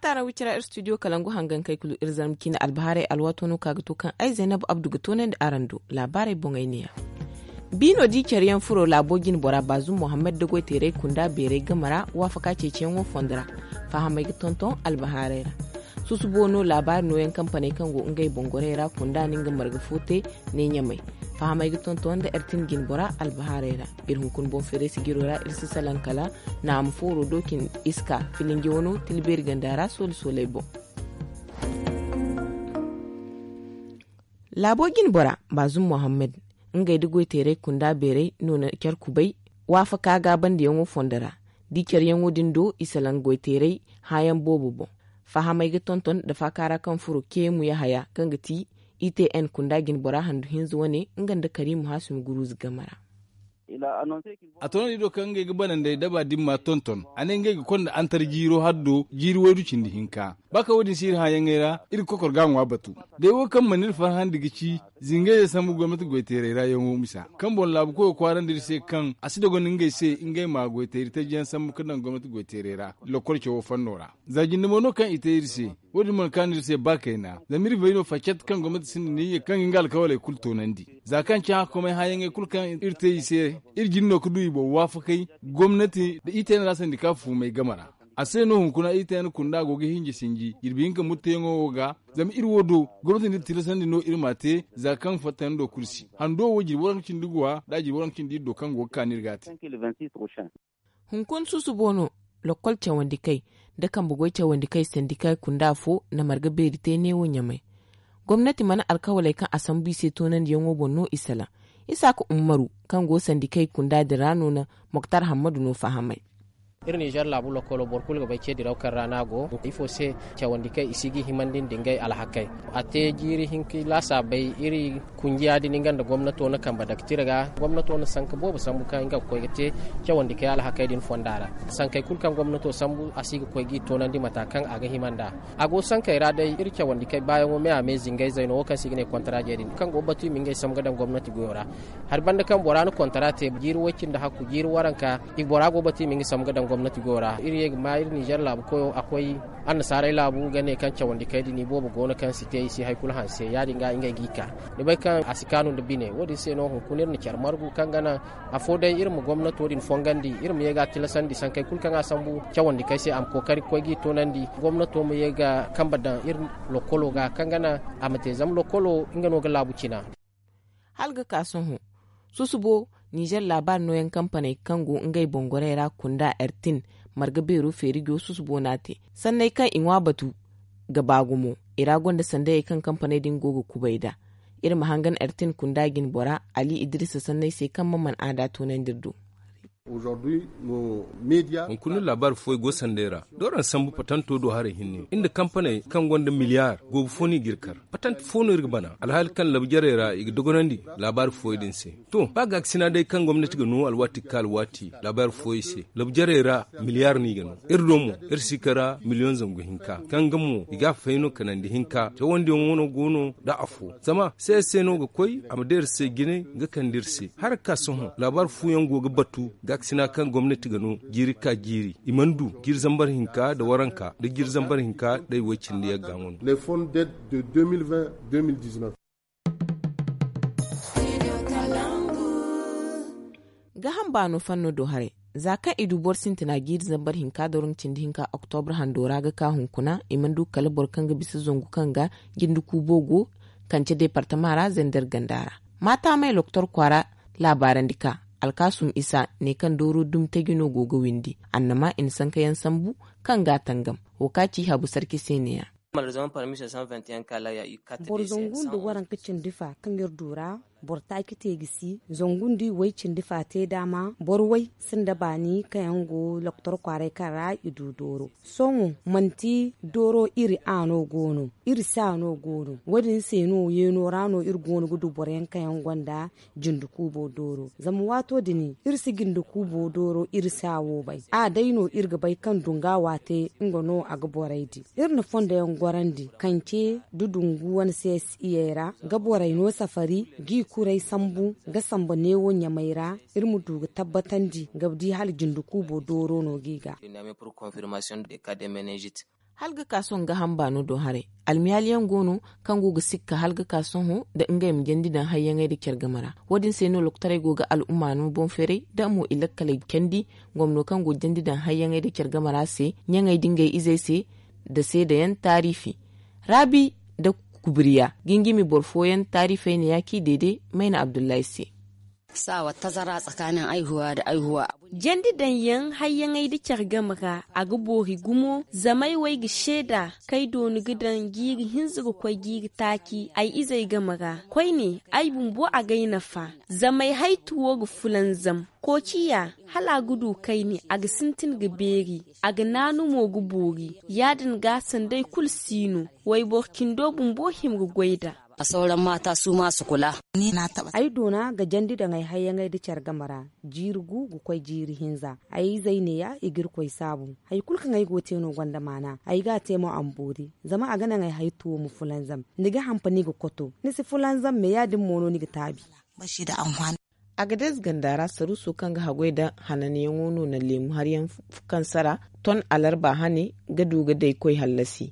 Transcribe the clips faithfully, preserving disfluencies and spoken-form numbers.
Taaraawi cira ir studio kalangu hangankey kulu ir zarma ciine albahaarey alwaato no ka ga to kaŋ ay zaynab abdu ga toonandi araŋ do. Laabaarey boŋey neeya. Biino di care yaŋ furo laabo jine bora baazum mohammed da goy teeray kunda beeray game ra waafaka ceeciyaŋo fondo ra. Fahamey ga tonton albahaarey ra. Susubo no laabaari nooyaŋ kampaney kaŋ go ngey boŋ gorey ra kunda no nga marga fo te. Ne ɲamey. Fahamey ga tonton nda ertin jine bora albahaarey ra. Ir hunkuna boŋ feeray sijiro ra ir si salaŋ kala naama fooro do cin iska filinji wano tilbeeri ganda ra soole sooley boŋ. Laabo jine bora baazum mohammed ngey nda goy teeray kunda beeray no na care kubay waafaka gaabandiyaŋo fondo ra. Da i careyaŋo din do i salaŋ goy teeray hãayaŋ boobo boŋ. Fahamey ga tonton nda faaka ra kaŋ furo keemu yahaya kaŋ ga ti itn kunda jine bora handu hinza wane nga nda kariimu haasumi guruuze game ra. A toonandi do kaŋ ngey ga banandey daba din ma tonton a ne ngey ga konda antar jiiro haddo jiiri waydu cindi hinka. Ba kaŋ wo- din si iri hãayaŋey ra iri ga kokor ga a ŋwa batu. Day wo kaŋ mana iri farhandi ga ci zingayzey sambu gomnati goyteerey ra yaŋo misa kaŋ boŋ laabu koyo kwaarandi iri se kaŋ a si dogonda ngey se ngey ma goyteeri taji yaŋ sambu ga daŋ gomnati goyteerey ra. Lokkol cawo fanno ra za jinde mo no kaŋ i te iri se. Wo- din mana kaanu iri se ba kayna zama iri bay no facat kaŋ gomnati sinda niyya kaŋ ga nga alkawaley kulu toonandi. Za kaŋ cahã komey hãayaŋey kulu kaŋ iri te i se iri jin no ga du i boŋ waafakey gomnati nda i te no ra sandika fuumey game ra. A se no hunkuna i te no kunda go ga hinji sinji jirbi hinka mutteyaŋo wo ga. Zama iri wo do gomnati nda tilasandi no iri m'a te za kaŋ fattandi do kulu si hando wo jirbi waranka cindi guwa nda jirbi waranka cindi iddo kaŋ go ga kaanu iri ga a te. Hunkuna susubo no lokkol cawandi kay nda kambe goy cawandi kay sandika kunda fo na marga beeri te neewo ɲamay. Gomnati mana alkawaley kaŋ a sambu i se toonandiyaŋo boŋ no i salaŋ. Isaaka ummaru kaŋ go sandikey kunda din ra no na moktar hammadu no fahamay. Iri nizer laabu lokkolo boro kulu ga bay ce diraw kaŋ ra no a go. Ifo se cawandi kaŋ i si ga i himandi nda ngey alhakey a te jiiri hinka laasaabey iri kunjiya din nga nda gomnato na kambe daktir ga gomnato na sanka boobo sambu kaŋ nga ga koy ga te cawandi kaŋ alhakey din fonda ra. Sankey kulu kaŋ gomnato sambu a si ga koy ga i toonandi mata kaŋ a ga hima nd'a. A go sankey ra day iri cawandi kaŋ baayaŋo me a me zingayzey no wo kaŋ se i ga ne kontaraaje din kaŋ go ga batu i ma ngey sambu ga daŋ gomnati goyo ra. Hari banda kaŋ bora na kontara te jiiri way-cindi hakku jiiri waranka i bora go ga batu i ma nga sambu ga daŋ gomnati goyo ra iri ye ga ma iri nizer laabu koyo a koy annasaarey laabu ga ne kaŋ cawandi kaŋ din i boobo go no kaŋ si te i si hari kulu hanse ya- din ga ngey g'i ka. Ni bay kaŋ a si kaanu nda bine wo- din se no hunkuna iri na care margu kaŋ ga naŋ afo day iri ma gomnato din fongandi iri ma ye ga a tilasandi sankey kulu kaŋ a sambu cawandi kaŋ se a ma kookari ga koy g'i toonandi. Gomnato ma ye ga kambe daŋ iri lokkolo ga kaŋ ga naŋ a ma te zama lokkolo nga no ga laabu cina. Hala ga ka sohõ susubo nizer laabaari nooyaŋ kampaney kaŋ go ngey boŋ gorey ra kunda ertin marga beero feerijo susubo no a te. Sanney kaŋ i ŋwa batu ga ba gumo i ra gonda sandayey kaŋ kampaney din go ga kubay nd'a. Iri ma hangan ertin kunda jine bora ali idrisa sanney se kaŋ ma mana aada toonandi iri do. Hunkuna laabaari fooyaŋ go sanday ra da waraŋ sambu patanto do haray hinne iri nda kampaney kaŋ gonda miliyaar goobu fo no i ga iri kar. Patant fo no iri ga bana alhaali kaŋ labu jarey ra i ga dogonandi laabaari fooyaŋ din se. To ba gaakasina day kaŋ gomnati ga no alwaati ga ka alwaati laabaari fooyaŋ se labu jarey ra miliyaar no i ga no. Iri do mo iri si kara miliyoŋ zangu hinka kaŋ ga mo i ga a fayno kanandi hinka cawandiyaŋo no go no nda afo zama se se no ga koy a ma day iri se jine ga kande iri se. Hari ga ka sohõ laabaari fooyaŋ go ga batu gaakasina kaŋ gomnati ga no jiiri ga ka jiiri i mana du jiiri zambar hinka nda waranka nda jiiri zambar hinka nda i way cindi yagga ŋwando. Gaaham baano fanno do haray za kaŋ i du boro sintina jiiri zambar hinka nda waranka cindi hinka oktobra hando ra ga ka hunkuna i mana du kala boro kaŋ ga bisa zangu kaŋ ga jinde kuubo go kance deepartama ra zender ganda ra. Maataamey loktor kwaara laabaarandi ka alkaasum isa ne kaŋ dooro dumi taji no go ga windi annama i na sankayaŋ sambu kaŋ ga a tangam. Wo ka ci habu sarki se neeya. Boro zangu nda waranka cindi fa kaŋ iri du ra boro taaci te ga si zangu nda i way cindi fa te daama boro way sinda baani kaŋ yaŋ go loktor kwaaray kaŋ ra i du dooro. Sohõ manti dooro iri a no go no iri se a no go no wo- din se no yeeno ra no iri go no ga du boro yaŋ kaŋ yaŋ gonda jinde kuubo dooro zama waato din iri si jinde kuubo dooro iri se a wo bay a day no iri ga bay kaŋ dunga waate nga no a ga borey di. Iri na fondo yaŋ gorandi kance da dungu wane se si iyey ra ga borey no safari g'i kuray sambu ga samba neewo ɲamey ra iri ma du ga tabbatandi ga di hala jinde kuubo dooro no g'i ga. Hala ga ka sohõ ga hamba no do haray. Almiyaali yaŋ go no kaŋ go ga sikka hala ga ka sohõ nda ngey ma jandi daŋ hayyaŋey nda care game ra. Wo- din se no lokotaray go ga al'umma no boŋ feeray nda mo i lakkaley candi. Gomno kaŋ go ga jandi daŋ hayyaŋey nda care game ra se, ɲaŋey nda ngey izey se, nda seeda yaŋ taariifi, raabi nda kubriya, gingimi boro fooyaŋ taariifey ne ya kaŋ i deede mayna abdullahi se. Saawa tazara tsakanin aihuwa da aihuwa. Jandi daŋ yaŋ hayyaŋey nda care game ra a ga boori gumo. Zama ay wo ay ga seeda kaŋ ay dooni ga daŋ jiiri hinza ga koy jiiri taaci ay izey game ra. Koyne, ay bumbo a ga ay nafa. Zama ay haytu wo ga fulanzam. Koociya, hala a ga du kayne a ga sintin ga beeri. A ga naanu mo ga boori. Ya- din ga sanda ay kulu si no. Wayboro cindo bumbo hima ga goy nd'a. A sauran mata su ma su kula. Ay doona ga jandi daŋ ay hayyaŋey nda care game ra. Jiiri gu ga koy jiiri hinza. Ay izey neeya i ga irkoy saabu. Hari kulu kaŋ ay go ga te no gonda maana. Ay ga a te mo a ma boori. Zama a ga naŋ ay haytu wo ma fulanzam. Ni ga hampani ga koto, ni si fulanzam me ya- din mo no ni ga taabi. Agades ganda ra saruuso kaŋ ga haggoy nda hananyaŋo no na leemu hari yaŋ kaŋ sara ton alarba hane ga du ga day koy hallasi.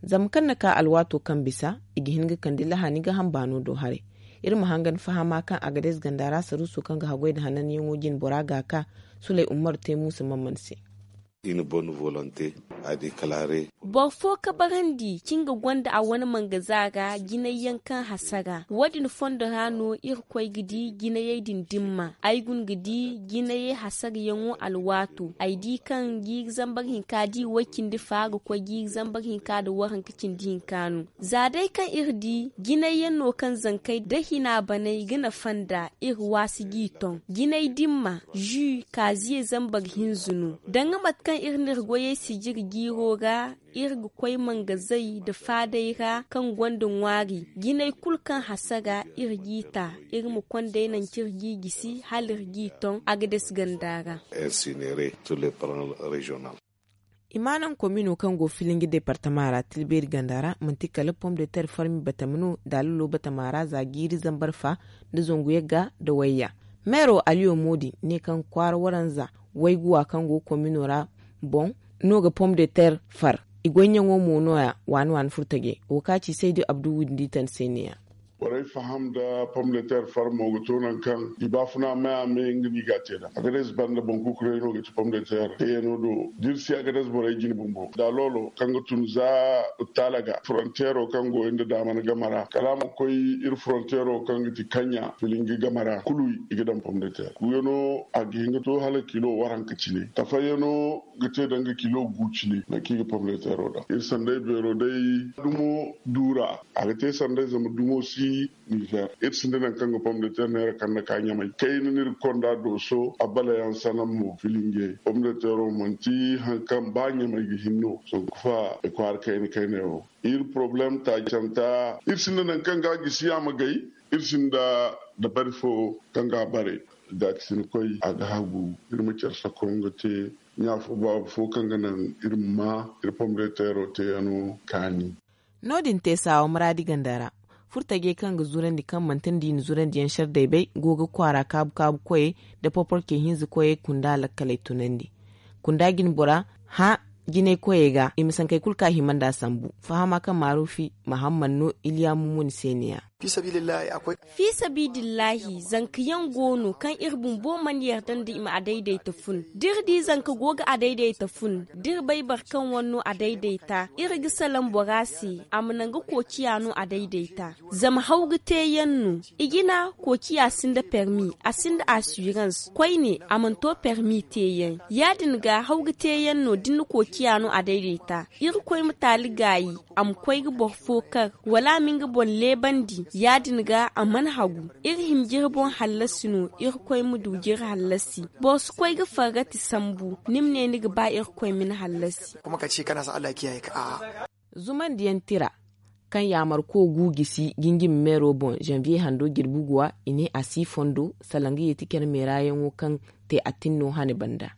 Zama kaŋ na ka alwaato kaŋ bisa i ga hin ga kande lahani ga hambaano do haray. Iri ma hangan fahama kaŋ agades ganda ra saruuso kaŋ ga haggoy nda hananyaŋo jine bora ga a ka. Suley umaru te muusa mamman se. Boro fo kabarandi kaŋ ga gonda a wane mangaza ra jinay yaŋ kaŋ hasara wo- din fondo ra no iri koy ga di jinayey din dimma. Ay guna ga di jinayey hasarayaŋo alwaato ay di kaŋ jiiri zambar hinka da i way- cindi fa ga koy jiiri zambar hinka nda waranka cindi hinka no. Za day kaŋ iri di jinay yaŋ no kaŋ zankey nda hina baney ga nafa nd'a. Iri waasi g'i ton jinay dimma, zu kaaziyey zambar hinza no. Danga mate kaŋ iri n'iri goyey sijiri jiiro ra, iri ga koy mangazey nda faadey ra kaŋ gonda ŋwaari. Jinay kulu kaŋ hasara iri g'i ta, iri ma konday naŋ kaŋ iri g'i gisi hala iri g'i ton agades ganda ra. Imaanaŋ komino kaŋ go filinji departama ra tilbeeri ganda ra manti kala pom de ter farmi batama no. Daalalo batama ra za jiiri zambar fa nda zangu yagga nda wayya. Meero aliyo moodi ne kaŋ kwaara waranza wayguwa kaŋ go komino ra boŋ no ga pom de ter far. I goyɲaŋo mo nooya waani waani furtaje wo ka ci saydu abdu windi tan se ne ya. Borey faham nda pom de ter farmo ga to nangu kaŋ i baafuna maya me nga no i ga a te nd'a. Agades banda boŋ kukurey no ga ci pom de ter teeyano do da iri si agades borey jine bumbo da loolo kaŋ ga tun za taala ga fronteero kaŋ go iri nda daamana game ra kala a ma koy iri fronteero kaŋ ga ti kaɲɲa filinji game ra kulu i ga daŋ pom de ter kuyano a ga hin ga to hala kilo waranka cine tafayyano ga te danga kilo gu cine nangu kaŋ i ga pom de teero daŋ iri sanday beero day dumo duura. A ga te sanday zama dumo si nizer iri sinda nangu kaŋ ga pom de ter neera kaŋ na ka ɲamay kayna no iri ga konda dooso abalayaŋ sanaŋ mo filinjey pom de teero manti hari kaŋ ba ɲamay ga hin no sanku fa i kwaara kayna kayna yaŋo. Iri porobalem taacanta iri sinda nangu kaŋ ga a gisi a ma gay. Iri sinda dabari fo kaŋ ga a bare. Gaakasina koy a ga hagu iri ma care sako nga te ɲa fo baaba fo kaŋ ga naŋ iri ma ma iri pom de teero teeyano kaani. No- din te saawa muraadi ganda ra furtajey kaŋ ga zurandi kaŋ manti nda i na zurandi yaŋ sardey bay go ga kwaara kaabu kaabu koyey nda poporcey hinza koyey kunda lakkaley tunandi. Kunda jine bora hã jinay koyey ga i ma sankey kulu kaŋ a hima nd'a sambu fahama kaŋ maaruufi mahamman no iliya mumuni se ne ya. Fi sabiidillahi zanka yaŋ go no kaŋ iri bumbo mana yarda nda i ma a dayday ta fun da iri di zanka go ga a dayday ta fun da iri bay boro kaŋ wane no a dayday ta iri ga salaŋ bora se a ma naŋ ga koociya no a dayday ta. Zama haw ga te yaŋ no i jina koociya sinda permi a sinda asirans koyne a mana to permi te yaŋ. Ya- din ga haw ga te yaŋ no da ni na koociya no a dayday ta iri koy ma taali gaayi a ma koy ga boro fo kar wala a ma nga boŋ leebandi ya- din ga a mana hagu. Iri hima jiri boŋ hallasi no iri koy ma du jiri hallasi. Boro si koy ga farrati sambu ni ma ne ni ga ba iri koy ma ni hallasi. Zumandiyaŋ tira kaŋ yaamarko gu gisi jinjimi meero boŋ zanviye hando jirbi guwa i ne a si fondo salaŋ ga yeeti care meerayaŋo kaŋ te a tinno hane banda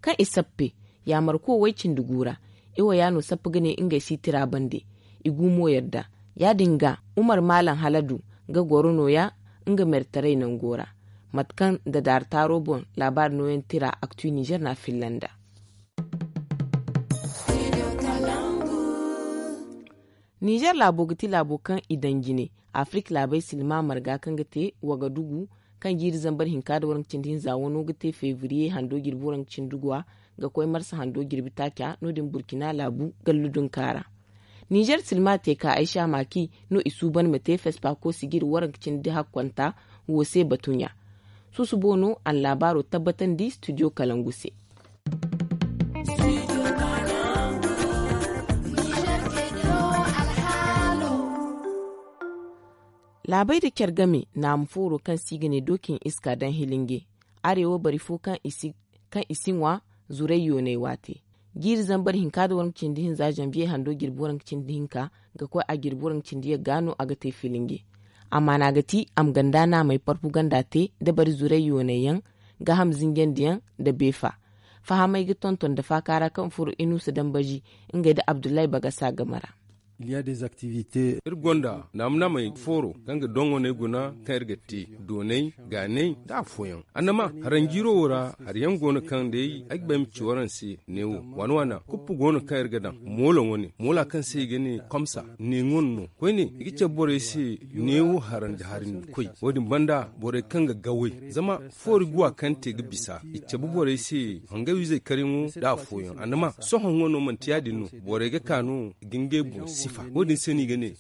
kaŋ i sappe yaamarko way-cindi gu ra. Iwo ya no sappa ga ne ngey si tira bande i gu mo yadda. Ya- din ga umar maalam haladu ga goro nooya nga mertaray nango ra mate kaŋ nda daari taaro boŋ laabaari nooyaŋ tira aktu nizer no a filla nd'a. Ninzeer laabo ga ti laabo kaŋ i daŋ jine afirik laabey silma marga kaŋ ga te wagadugu, kaŋ jiiri zambar hinka nda waranka cindi hinza wano ga te febriye hando jirbi waranka cindi guwa ga koy marsa hando jirbi taaca no- din burkina laabu gallu dunka ra. Ninzeer silma te ka ay sha maaki no i suuban ma te fespako sijiri waranka cindi hakkonta wo se batuɲa. Susubo no a na laabaaro tabbatandi studio kalangu se. Laabey nda care game naamu fooro kaŋ se i ga ne dookin iska daŋ hilinge areewa bari fo kaŋ i si ŋwa zuray yoonay waate. Jiiri zambar hinka nda waranka cindi hinza zanbiye hando jirbi waranka cindi hinka ga koy a jirbi waranka cindi yagga no a ga te filinge. Amma no a ga ti a ma ganda naamey parpu ganda te nda bari zuray yoonay yaŋ, gaaham zinjandi yaŋ nda beefa. Fahamey ga tonton nda faaka ra kaŋ furo inuusa dambazi ngey nda abdullahi bagasa game ra. Iri gonda naamnaamey fooro kaŋ ga doŋoney guna kaŋ iri ga te dooney gaaney nda afooyaŋ. Annama haranjiiro wo ra hari yaŋ go no kaŋ day ay ga bay ma ci waraŋ se. Neewo waana waana kuppu go no kaŋ iri ga daŋ moola wane moola kaŋ se i ga ne komsa neeŋo no koyne i ga cabe borey se. Neewo harandi hari nda koy wo- din banda borey kaŋ ga gawey zama foori guwa kaŋ te ga bisa i cabe borey se hangay wizey karyaŋo nda afooyaŋ annama sohõ ŋo no manti ya- din no. Borey ga ka no ga ngey boŋ sifa wo- din se no i ga ne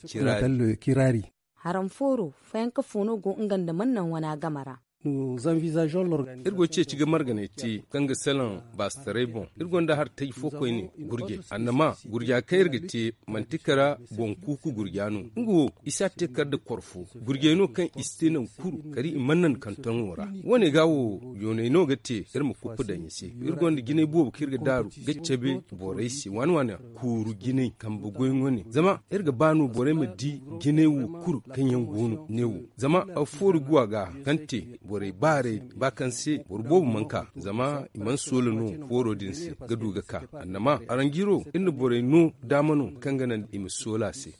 kiraari. Haraŋ fooro fayanka fo no go nga nda man naŋ wana game ra. Iri go ceeci ga marganey te kaŋ ga salaŋ baasitaray boŋ. Iri gonda hari taji fo koyne gurjey annama gurja kaŋ iri ga te manti kara boŋ kuuku gurja no. Nga wo i si a te kar nda koro fo gurjey no kaŋ i si te naŋ kuru kari i mana naŋ kantoŋo ra. Wo- ne ga wo yooney no ga te iri ma kuppu daŋ i se. Iri gonda jinay boobo kaŋ iri ga daaru ga cabe borey se waana waana kuuru jinay kambe goy wane zama iri ga ba no borey ma di jinay wo kulu kaŋ yaŋ go no ne wo. Zama foori guwa ga kaŋ te borey baaray ba kaŋ se boro boobo mana ka zama i mana soola no fooro din se ga du ga ka. Annama aranjiro iri na borey no daama no kaŋ ga naŋ i ma soola se.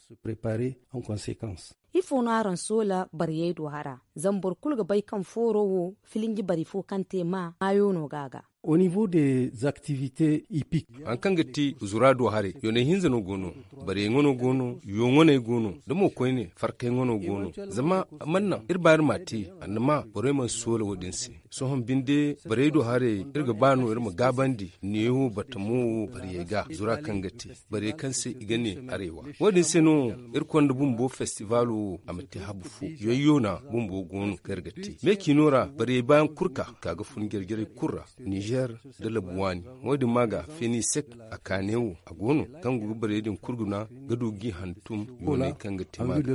Ifo no araŋ soola bariyey do hara? Zama boro kulu ga bay kaŋ fooro wo filinji bari fo kaŋ te ma maayo no ga a ga. Au niveau des activités hippiques. Hari kaŋ ga ti zura do haray yoonay hinza no go no. Barey ŋwano go no. Yooŋwaney go no da mo koyne farkay ŋwano go no. Zama a mana naŋ iri ba iri ma a te annama borey mana soola wo- din se. Sohõ binde barey do haray iri ga ba no iri ma gaabandi neewo batamo wo bariyey ga zura kaŋ ga te bariyey kaŋ se i ga ne areewa. Wo- din se no iri konda bumbo festivaalo wo a ma te habu fo. Yoyyoona bumbo go no kaŋ iri ga te meeciino ra bariyey baayaŋ kulu ka ka ga fun jare-jarey kulu ra. Nizer nda labu waani. Wo- din ma ga fenisek a kaane wo a go no kaŋ go ga bariyey din kulu guna ga du g'i hantum yooney kaŋ ga te ma ga.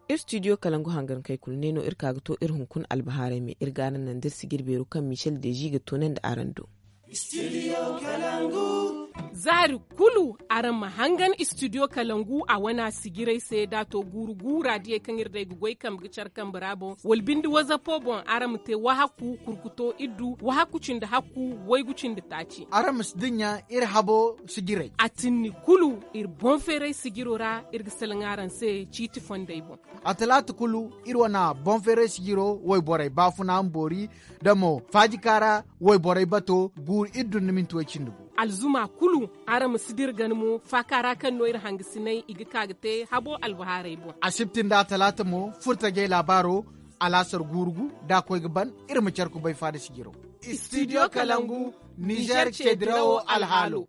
Iri studio kalangu hangankey kulu ne no iri ka ga to iri hunkuna albahaarey me iri ga araŋ naŋ da iri sijiri beero kaŋ michel deji ga toonandi araŋ do. Zaari kulu araŋ ma hangan studio kalangu a wana sijirey se da a to guuru guura diyey kaŋ iri day ga goy kambe ga care kambe ra boŋ wala binde wazapo boŋ araŋ ma te wahakku kurkuto iddu wahakku cindi hakku waygu cindi taaci. Araŋ ma si dinya iri habo sijirey a tinni kulu iri boŋ feeray sijiro ra iri ga salaŋ araŋ se ciiti fondey boŋ. A talaata kulu iri wana boŋ feeray sijiro wayborey baafuna ma boori da mo faajika ra wayborey bato guuru iri dun da minti way cindi gu. Alzuma kulu araŋ ma si dira gana mo faaka ra kaŋ no iri hangasinay i ga ka ga te habo albahaarey boŋ. Asibti nda talaata mo furtajey laabaaro alaasar guuru gu da a koy ga ban iri ma care kubay faada sijiro. Studio kalangu nizer ce dirawo alhaalo.